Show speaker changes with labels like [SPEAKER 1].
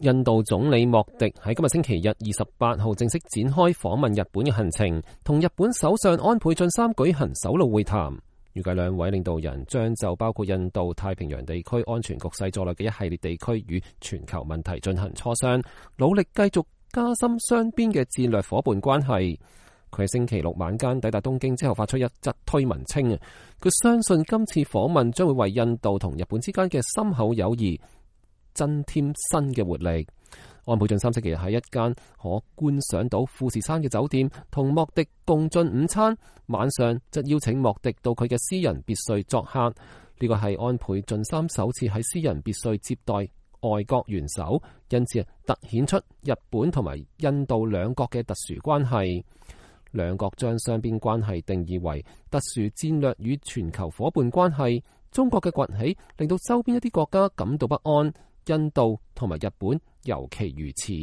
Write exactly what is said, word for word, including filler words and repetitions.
[SPEAKER 1] 印度總理莫迪喺今日星期日二十八號正式展開訪問日本嘅行程，同日本首相安倍晉三舉行首腦會談。預計兩位領導人將就包括印度太平洋地區安全局勢在內嘅一系列地區與全球問題進行磋商，努力繼續加深雙邊嘅戰略夥伴關係。佢喺星期六晚間抵達東京之後，發出一則推文稱，佢相信今次訪問將會為印度同日本之間嘅深厚友誼增添新嘅活力。安倍晉三星期日喺一間可觀賞到富士山嘅酒店同莫迪共進午餐，晚上則邀請莫迪到佢嘅私人別墅作客。呢個係安倍晉三首次喺私人別墅接待外國元首，因此突顯出日本同埋印度兩國嘅特殊關係。兩國將雙邊關係定義為特殊戰略與全球夥伴關係。中國嘅崛起令到周邊一啲國家感到不安，印度同埋日本尤其如此。